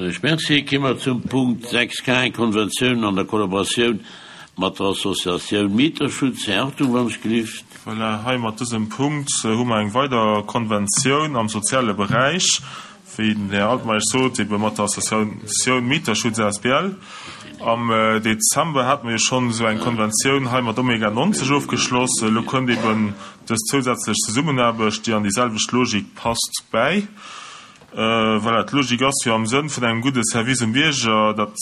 Soen ech Merci. Ki mer zum Punkt 6 K, eng Konventioun an der Kollaboratioun mat der Associatioun Mieterschutz. Här Hartung, wann ech gelift. Voilà, hei mat dësem Punkt hu mer eng weider Konventioun am soziale Beräich, wéi den Här Altmeisch sot, ebe mat der Associatioun Mieterschutz asbl. Am Dezember hate mer jo schonn esou eng Konventioun hei mat Omega 90 ofgeschloss. Elo kënnt eben dës zousätzlech Zesummenaarbecht, déi an déi selwecht Logik passt, bäi. Voilà, d'Logik ass jo am Sënn vun engem gudde Service um Bierger, datt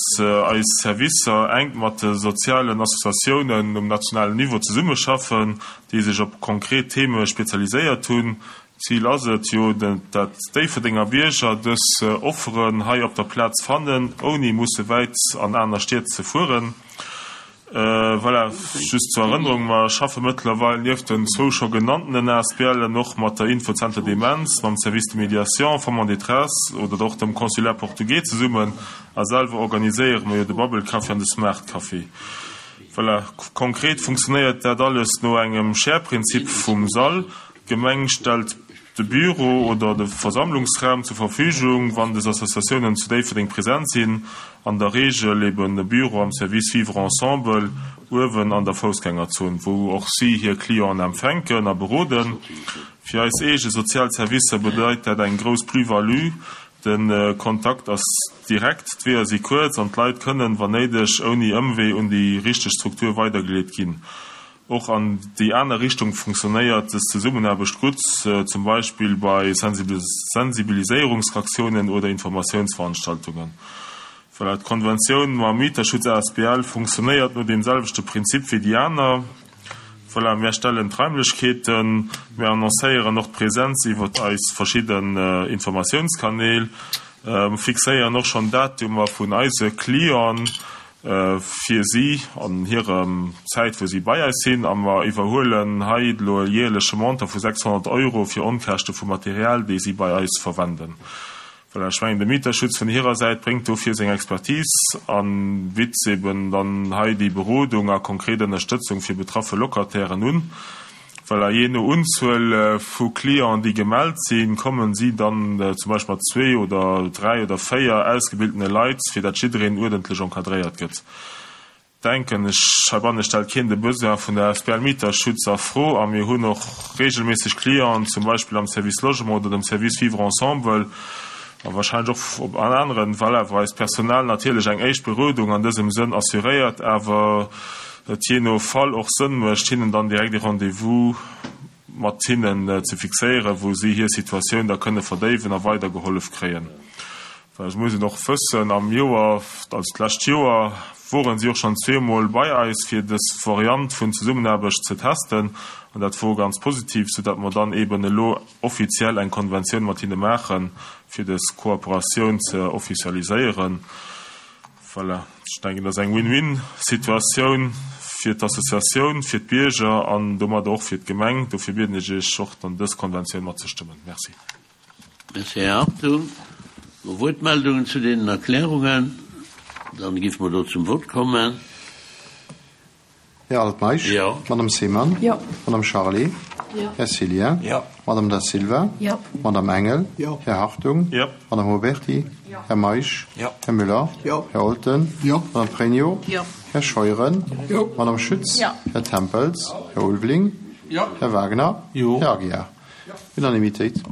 eis Servicer enk mat de sozialen Associatiounen um nationalen Niveau zesummeschaffen, déi sech op konkret Theme spezialiséiert hunn. Zil ass et jo, datt Déifferdenger Bierger dës Offeren hei op der Plaz fannen, ouni musse wäit an aner Stied ze fueren. Voilà, just zur Erënnerung, mer schaffe mëttlerweil nieft den zwou scho genanntenen ASBLen och mat der Info-Center Demenz, mam Service de médiation Femmes en détresse oder och dem Consulat portugais zesummen a selwer organiséiere mer jo de Bubble Café an de Smart Café. Voilà, konkret funktionéiert dat alles no engem Share-Prinzip vum Sall. D'Gemeng stellt de Büro oder de Versammlungsraum zur Verfügung, wann des Associatiounen zu Déifferdeng present sinn, an der Reegel eben e Büro am Service Vivre ensemble uewen an der Foussgängerzon, wou och si hir Clienten empfänken a beroden. Fir eis eege sozial Servicer bedeit dat eng grouss Plus-value, De Kontakt ass direkt, d'Weeër si kuerz an d'Leit kënnen, wann néideg, ouni Ëmwee un déi richteg Struktur weidergeleet ginn. Och an déi aner Richtung funktionéiert des Zesummenaarbecht gutt, zum Beispill bei Sensibiliséierungsaktiounen oder Informatiounsveranstaltungen. Voilà, d'Konventioun mam Mieterschutz asbl funktionéiert no deem selwechte Prinzip wéi déi aner. Voilà, mär stellen d'Raimlechkeeten, mär annoncéieren och d'Präsenz iwwer eis verschidden Informatiounskanäl, fixéieren och schonn Datumer vun eise Clienten, fir si an hirem Zäit wou si bei eis sinn, a mer iwwerhuelen hei elo e jäerleche Montant vu 600 Euro fir Onkäschte vu Material déi si bei eis verwenden. Voilà, ech mengen de Mieterschutz vun hirer Säit bréngt dofir seng Expertise a bitt eben dann hei déi Berodung a konkret Ënnerstëtzung fir betraffe Locatairen un. Voilà, jee no Unzuel vu Clienten, déi gemellt sinn, kommen si dann zum Beispill mat zwee oder dräi oder véier ausgebildene Leit, fir dat jiddereen uerdentlech encadréiert gëtt. Denken ech, heibanne stellt keen de Besoin vun der asbl Mieterschutz a Fro a mir hunn och regelméisseg Clienten, zum Beispill am Service Logement oder dem Service Vivre ensemble a wahrscheinlech och op an aneren, voilà, wou eist Personal natierlech eng éischt Berodung an dësem Sënn assuréiert, awer et jee no Fall och Sënn mécht, hinnen dann direkt e Rendez-vous mat hinnen ze fixéieren, wou si hir Situatioun da kënne verdéiwen a weidergehollef kréien. Well et muss een och wëssen, am Joer, also d'lescht Joer, woren si och schonn zweemol bei eis, fir dës Variant vun Zesummenaarbecht ze testen, an dat wor ganz positiv, soudatt mer dann eeben elo offiziell eng Konventioun mat hinne maachen, fir dës Kooperatioun ze officialiséieren. Voilà, ech denken, dat ass eng Win-win-Situatioun fir d'Associatioun, fir d'Bierger an domadder och fir d'Gemeng. Dofir bieden ech Iech och, dann dës Konventioun matzestëmmen. Merci. Merci, Här Hartung. No Wuertmeldungen zu deenen Erklärungen? Dann géife mer do zum Vott kommen. Här Altmeisch? Jo. Madame Seemann? Jo. Madame Charlé? Jo. Här Cillien? Jo. Madame Da Silva? Jo. Madame Engel? Jo. Här Hartung? Jo. Madame Huberty? Jo. Här Meisch? Jo. Här Müller? Jo. Här Olten? Jo. Madame Pregno? Jo. Här Scheuren? Jo. Madame Schütz? Jo. Här Tempels? Här Ulveling? Jo. Här Wagner? Jo. Här Aguiar? Unanimitéit.